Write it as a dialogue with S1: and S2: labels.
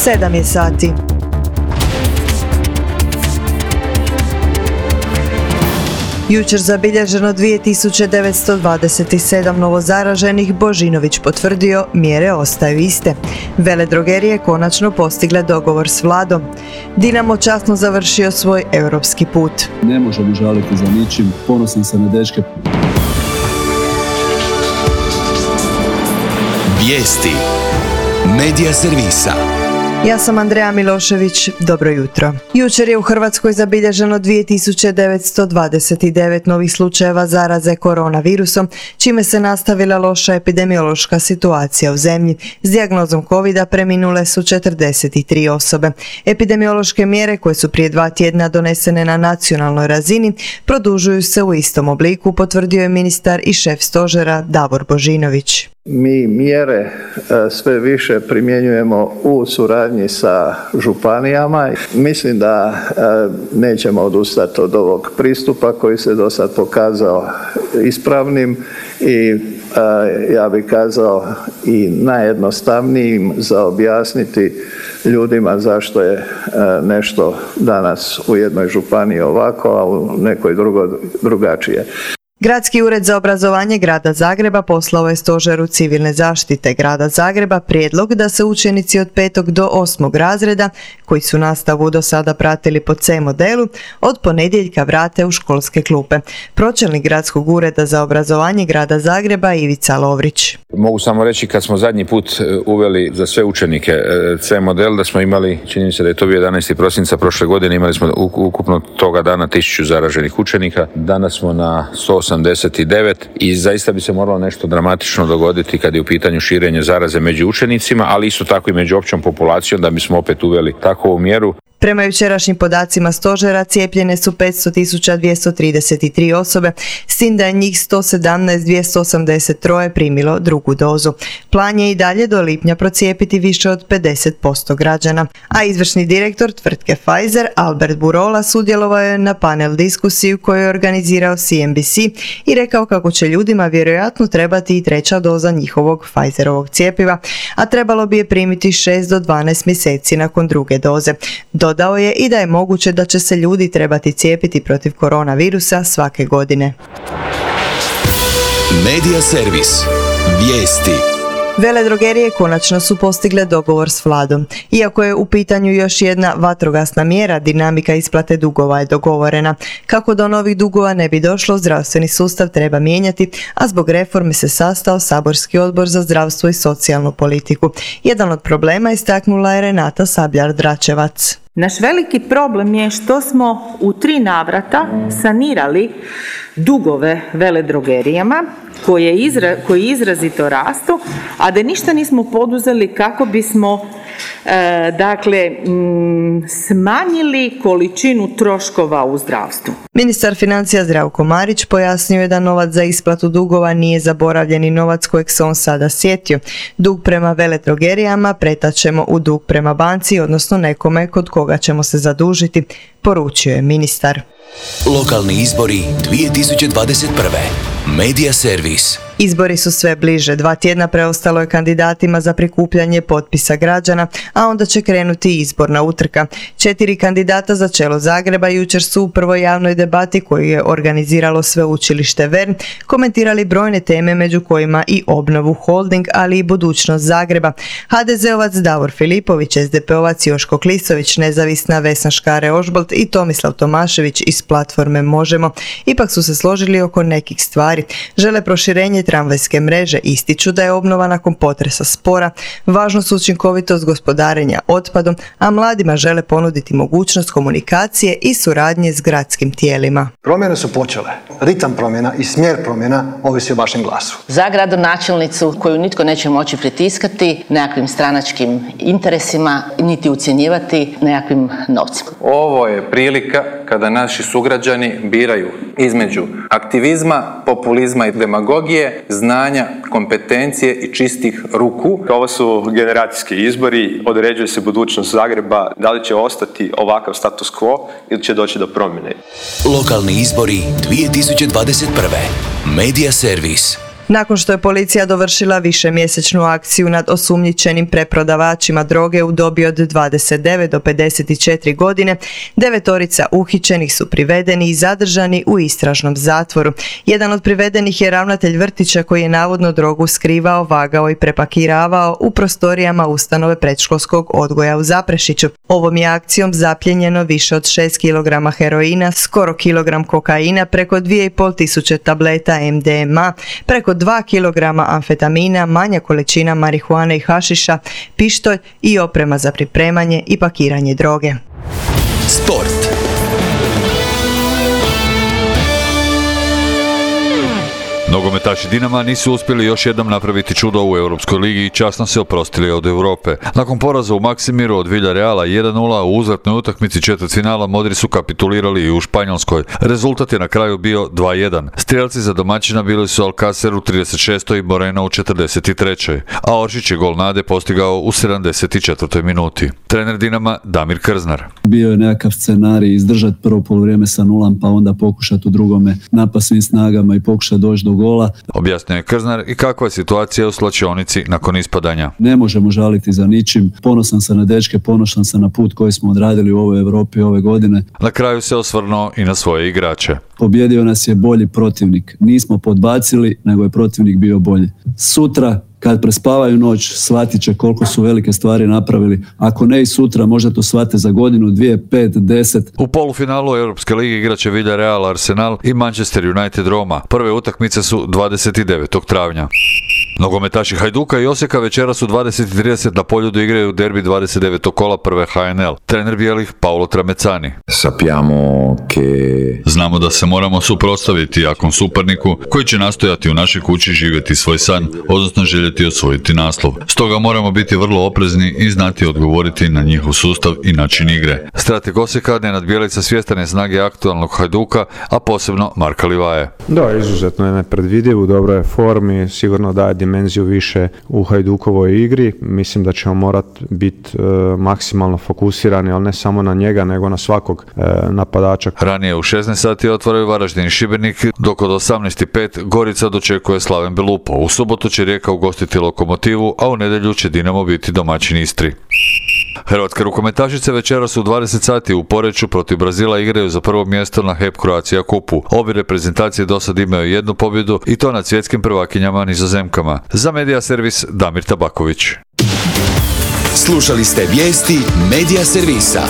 S1: 7 je sati. Jučer zabilježeno 2927 novozaraženih, Božinović potvrdio, mjere ostaju iste. Veledrogerije konačno postigle dogovor s vladom. Dinamo časno završio svoj europski put.
S2: Ne možemo žaliti za ničim, ponosan sam na dečke.
S3: Vijesti Medija servisa.
S1: Ja sam Andreja Milošević, dobro jutro. Jučer je u Hrvatskoj zabilježeno 2929 novih slučajeva zaraze koronavirusom, čime se nastavila loša epidemiološka situacija u zemlji. S dijagnozom covida preminule su 43 osobe. Epidemiološke mjere koje su prije 2 tjedna donesene na nacionalnoj razini produžuju se u istom obliku, potvrdio je ministar i šef stožera Davor Božinović.
S4: Mi mjere sve više primjenjujemo u suradnji sa županijama. Mislim da nećemo odustati od ovog pristupa koji se do sad pokazao ispravnim i ja bih kazao i najjednostavnijim za objasniti ljudima zašto je nešto danas u jednoj županiji ovako, a u nekoj drugačije.
S1: Gradski ured za obrazovanje Grada Zagreba poslao je Stožeru civilne zaštite Grada Zagreba prijedlog da se učenici od 5. do 8. razreda, koji su nastavu do sada pratili po C modelu, od ponedjeljka vrate u školske klupe. Pročelnik Gradskog ureda za obrazovanje Grada Zagreba Ivica Lovrić.
S5: Mogu samo reći, kad smo zadnji put uveli za sve učenike C model, da smo imali, čini mi se da je to bio 11. prosinca prošle godine, imali smo ukupno toga dana 1000 zaraženih učenika. Danas smo na 189 i zaista bi se moralo nešto dramatično dogoditi kad je u pitanju širenje zaraze među učenicima, ali isto tako i među općom populacijom, da bismo opet uveli takovu mjeru.
S1: Prema jučerašnjim podacima stožera cijepljene su 500.233 osobe, s tim da je njih 117.283 primilo drugu dozu. Plan je i dalje do lipnja procijepiti više od 50% građana. A izvršni direktor tvrtke Pfizer, Albert Burola, sudjelovao je na panel diskusiju koju je organizirao CNBC i rekao kako će ljudima vjerojatno trebati i 3. doza njihovog Pfizerovog cjepiva, a trebalo bi je primiti 6 do 12 mjeseci nakon druge doze. Dodao je i da je moguće da će se ljudi trebati cijepiti protiv koronavirusa svake godine.
S3: Medija servis. Vijesti.
S1: Veledrogerije konačno su postigle dogovor s vladom. Iako je u pitanju još jedna vatrogasna mjera, dinamika isplate dugova je dogovorena. Kako do novih dugova ne bi došlo, zdravstveni sustav treba mijenjati, a zbog reforme se sastao saborski odbor za zdravstvo i socijalnu politiku. Jedan od problema istaknula je Renata Sabljar-Dračevac.
S6: Naš veliki problem je što smo u 3 navrata sanirali dugove veledrogerijama koji izrazito rastu, a da ništa nismo poduzeli kako bismo smanjili količinu troškova u zdravstvu.
S1: Ministar financija Zdravko Marić pojasnio je da novac za isplatu dugova nije zaboravljeni novac kojeg se on sada sjetio. Dug prema veledrogerijama pretaćemo u dug prema banci, odnosno nekome kod koga ćemo se zadužiti, poručio je ministar.
S3: Lokalni izbori 2021. Medija servis.
S1: Izbori su sve bliže. 2 tjedna preostalo je kandidatima za prikupljanje potpisa građana, a onda će krenuti izborna utrka. 4 kandidata za čelo Zagreba jučer su u prvoj javnoj debati koju je organiziralo sveučilište VERN komentirali brojne teme, među kojima i obnovu Holding, ali i budućnost Zagreba. HDZ-ovac Davor Filipović, SDP-ovac Joško Klisović, nezavisna Vesna Škare-Ožbolt i Tomislav Tomašević iz platforme Možemo ipak su se složili oko nekih stvari. Žele proširenje tramvajske mreže, ističu da je obnova nakon potresa spora, važnost učinkovitost gospodarenja otpadom, a mladima žele ponuditi mogućnost komunikacije i suradnje s gradskim tijelima.
S7: Promjene su počele. Ritam promjena i smjer promjena ovisi o vašem glasu.
S8: Za gradonačelnicu koju nitko neće moći pritiskati nekakvim stranačkim interesima, niti ucjenjivati nekakvim novcima.
S9: Ovo je prilika kada naši sugrađani biraju između aktivizma, populizma i demagogije, znanja, kompetencije i čistih ruku.
S10: Ovo su generacijski izbori, određuje se budućnost Zagreba, da li će ostati ovakav status quo ili će doći do promjene.
S3: Lokalni izbori 2021. Medija servis.
S1: Nakon što je policija dovršila višemjesečnu akciju nad osumnjičenim preprodavačima droge u dobi od 29 do 54 godine, 9 uhićenih su privedeni i zadržani u istražnom zatvoru. Jedan od privedenih je ravnatelj vrtića koji je navodno drogu skrivao, vagao i prepakiravao u prostorijama ustanove predškolskog odgoja u Zaprešiću. Ovom je akcijom zapljenjeno više od 6 kg heroina, skoro kilogram kokaina, preko 2500 tableta MDMA, preko 2 kg amfetamina, manja količina marihuane i hašiša, pištolj i oprema za pripremanje i pakiranje droge.
S3: Sport.
S11: Nogometaši Dinama nisu uspjeli još jednom napraviti čudo u Europskoj ligi i časno se oprostili od Europe. Nakon poraza u Maksimiru od Villareala 1:0 u uzvratnoj utakmici četvrtfinala Modri su kapitulirali i u Španjolskoj. Rezultat je na kraju bio 2:1. Strijelci za domaćina bili su Alcacer u 36. i Moreno u 43. A Oršić je gol nade postigao u 74. minuti. Trener Dinama Damir Krznar.
S2: Bio je nekakav scenarij izdržati prvo poluvrijeme sa 0, pa onda pokušati u drugome napast svim snagama i pokušati doći do gola.
S11: Objasnio je Krznar i kakva je situacija u slačionici nakon ispadanja.
S2: Ne možemo žaliti za ničim. Ponosan sam na dečke, ponosan sam na put koji smo odradili u ovoj Europi ove godine.
S11: Na kraju se osvrnuo i na svoje igrače.
S2: Pobjedio nas je bolji protivnik. Nismo podbacili, nego je protivnik bio bolji. Sutra, kad prespavaju noć, shvatit će koliko su velike stvari napravili. Ako ne i sutra, možda to shvate za godinu, 2, 5, 10.
S11: U polufinalu Europske lige igraće Villareal, Arsenal i Manchester United Roma. Prve utakmice su 29. travnja. Nogometaši Hajduka i Osijeka večeras u 20:30 na Poljudu igraju derbi 29. kola prve HNL. Trener bijelih Paolo Tramezzani. Znamo da se moramo suprotstaviti jakom suparniku koji će nastojati u našoj kući živjeti svoj san, odnosno željeti osvojiti naslov. Stoga moramo biti vrlo oprezni i znati odgovoriti na njihov sustav i način igre. Strateg Osijeka Nenad Bjelica svjestan je snage aktualnog Hajduka, a posebno Marka Livaje.
S12: Da, izuzetno je nepredvidiv, u dobroj formi, sigurno daje dimenziju više u Hajdukovoj igri. Mislim da ćemo morati biti maksimalno fokusirani, ali ne samo na njega, nego na svakog napadača.
S11: Ranije u 16 sati otvaraju Varaždin i Šibenik, dok od 18:05 Gorica dočekuje Slaven Belupo. U subotu će Rijeka ugostiti Lokomotivu, a u nedjelju će Dinamo biti domaćin Istri. Hrvatske rukometašice večeras u 20 sati u Poreču protiv Brazila igraju za prvo mjesto na HEP Croatia kupu. Obje reprezentacije do sad imaju jednu pobjedu i to nad svjetskim prvakinjama Nizozemkama. Za Medija Servis Damir Tabaković.
S3: Slušali ste vijesti Medija Servisa.